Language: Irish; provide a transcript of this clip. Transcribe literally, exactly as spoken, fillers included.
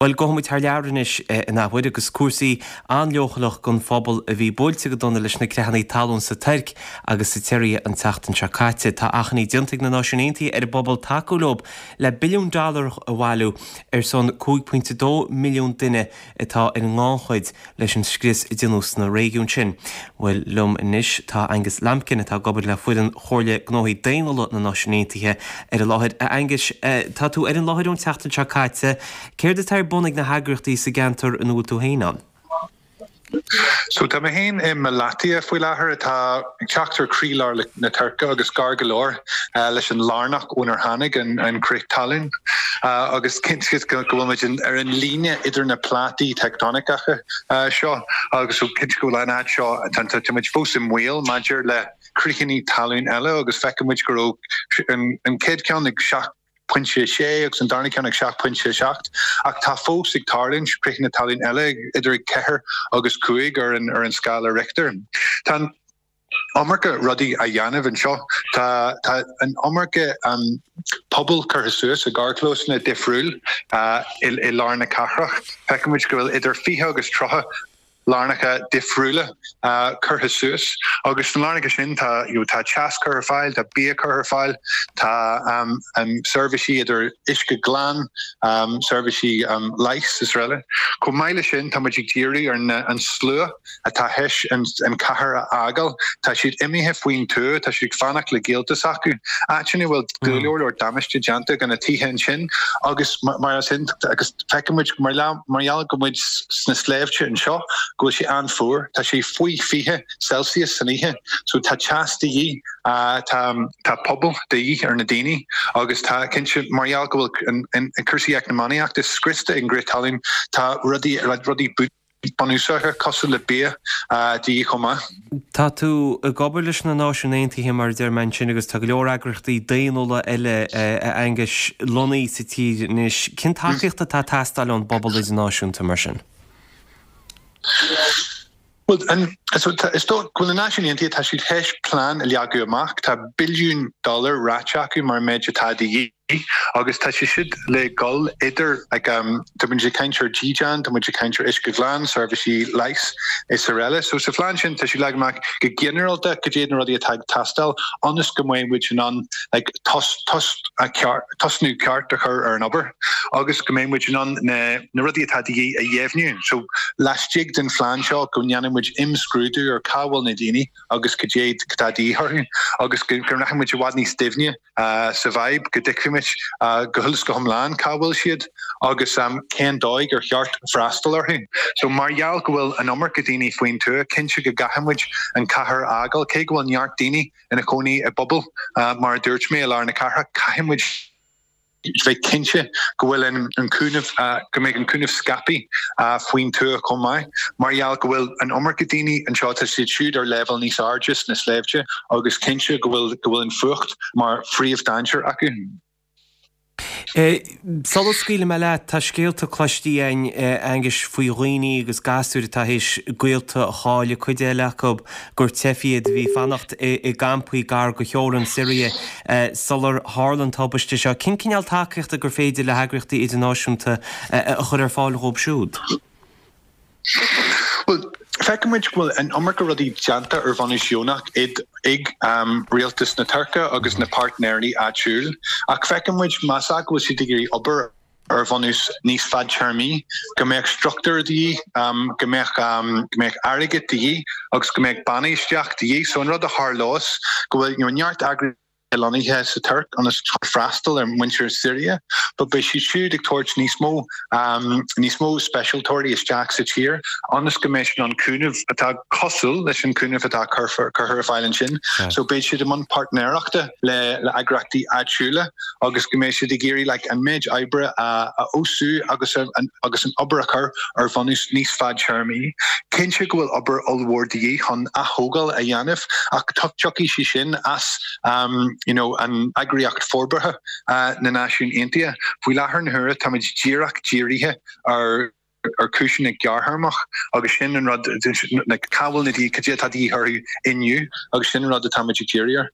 Bhuel, gabhfaidh muid thar lear anois in athuair agus cúrsaí an-leochaileach don phobal a bhí buailte go dona leis na creathanna talún sa Tuirc agus sa tSiria an tseachtain seo caite. Tá achainí déanta ag na Náisiúin Aontaithe ar an bpobal tacú leo le billiún dollar a bhailiú ar son cúig pointe dó milliún duine atá ar an ngannchuid leis an scrios a déanadh sna réigiúin sin. Bhuel, liom anois tá Angus Lambkin atá ag obair le foireann Chomhairle Gnóthaí Daonnúla na Náisiún Aontaithe ar an láthair. A Angus, tá tú ar an láthair ón tseachtain seo caite. Céard atá ar bun ag na heagraíochtaí sa gceantar ina bhfuil tú féin ann? So tá mé féin i Malatya faoi láthair atá ag teacht ar chroílár na Tuirce agus gar go leor leis an lárnach ónar tháinig an crith talún agus cinnte go bhfuil muid ar an líne idir na plátaí tectonicacha seo agus so cinnte go bhfuil an áit seo tá muid fós i mbaol maidir le critheanna talún eile agus feiceann muid go raibh an chéad ceann ag seacht pointe sé agus an darna ceann ag seacht pointe seacht ach tá fós ag tarlúint critheanna talún eile idir ag ceathair agus cúig ar an ar an scála Richter. Tá an iomarca rudaí á dhéanamh anseo. Tá tá an iomarca um, puball curtha suas i gcarrchlósanna difriúil uh, i, i lár na cathrach. Feiceann muid go bhfuil idir fiche agus tríocha lárnacha difriúla curtha suas agus sna lárnacha sin tá you know, tá teas curtha ar fáil, tá bia curtha ar fáil, tá um, um, seirbhísí idir uisce glan, um, seirbhísí um, leighis is araile. Chomh maith leis sin tá muid ag díriú ar na, an slua atá théis an, an cathair a fhágáil, tá siad imithe faoin tuath, tá siad ag fanacht le gaolta s'acu. Áiteanna a bhfuil go leor leor damáiste déanta do na tithe ansin agus mar sin agus feiceann muid mar mar gheall go muid sna sléibhte anseo go bhfuil sé an-fhuar, tá sé faoi fiche Celsius san oíche, so tá teas de dhíth, tá tá puball de dhíth ar na daoine agus tá cinnte mar gheall go bhfuil an cúrsaí eacnamaíochta scriosta ag an gcrith talún, tá rudaí rudaí bunúsacha cosúil le bia de dhíth chomh maith. Tá tú ag obair leis na Náisiúin Aontaithe mar a deir mé ansin agus tá go leor eagraíochtaí daonnúla eile a Aonghais lonnaithe sa tír anois. Cén tacaíocht atá ag teastáil ón bpobal idirnáisiúnta mar sin? Well, an, so, is dóigh go bhfuil na Náisiúin Aontaithe tá siad théis plean a leagadh amach, tá billiún dollar ráite acu mar méid atá de dhíth agus tá sé siad le gul idir like, um, tá muid ag caint ar dídean, tá muid ag caint ar uisce glan, seirbhísí leighis is araile. So sa phlean sin tá siad leag amach go ginearálta cad iad na rudaí atá ag teastáil ionas go mbeidh muid in ann like, tos, tos, a ceart, tosnú ceart a chur ar an obair agus go mbeidh muid in ann na, na rudaí atá de dhíth a dheimhniú. So laistigh den phlean seo go ndéanfaidh muid imscrúdú ar cá bhfuil na daoine agus cad é atá de dhíth orthu agus go go rachaidh muid i bhfad níos doimhne uh, sa bhfadhb go dtuigfimid uh, go huile is go hiomlán cá bhfuil siad agus um, cén dóigh ar cheart freastal orthu. So mar gheall go bhfuil an iomarca daoine faoin tuath, cinnte go gcaithfidh muid an cathair a fhágáil, cé go bhfuil neart daoine ina cónaí i bpubaill uh, mar a dúirt mé i lár na cathrach, caithfidh muid bheith cinnte go bhfuil an, an cúnamh uh, go mbeidh an cúnamh scaipthe uh, faoin tuath chomh maith, mar gheall go bhfuil an iomarca daoine anseo tá siad siúd ar leibhéal níos airde sna sléibhte agus cinnte go bhfuil go bhfuil an fuacht mar phríomhdainséar acu. Sula scaoilfidh mé leat, tá scéalta cloiste againn Aonghais faoi dhaoine agus gasúir atá théis gaolta a chailleadh, cuid eile acu gur teifigh iad a bhí ag fanacht i gcampaí gar go theorainn Siria sular tharla an tubaiste seo. Cén cineál tacaíochta gur féidir le heagraíochtaí idirnáisiúnta a chur ar fáil dhóibh siúd? Well, feiceann muid go bhfuil an iomarca rudaí déanta ar bhunús deonach ag um, rialtas na Tuirce agus na páirtnéirí áitiúil, ach feiceann muid más ea go bhfuil siad ag iarraidh obair ar bhunús níos fadtéarmaí, go mbeadh struchtúr de dhíth, um, go mbeadh um, go mbeadh airgead de dhíth agus go mbeadh bainistíocht de dhíth. So an rud a tharlós go bhfuil you know, neart eagraíochtaí lonnaithe sa Tuirc ionas freastal ar muintir Siria, but beidh siad siúd ag tabhairt níos mó um, níos mó speisialtóirí isteach sa tír ionas go mbeidh an cúnamh atá cosúil leis an cúnamh atá curtha ar fáil ansin. So beidh siad i mbun páirtnéireachta le le eagraíochtaí áitiúla agus go mbeidh siad ag iarraidh like, an méid oibre a, a fheabhsú agus an, agus an obair a chur ar bhunús níos fadtéarmaí. Cinnte go bhfuil obair ollmhór de dhíth chun atógáil a dhéanamh ach tiocfaidh sé sin as um, you know, an eagraíocht forbartha uh, na Náisiún Aontaithe. Faoi láthair na huaire táimid díreach dírithe ar ar chúiseanna gearrthéarmach agus sin an rud like, cá bhfuil na daoine cad é atá de dhíth orthu inniu agus sin an rud atáimid ag díriú air.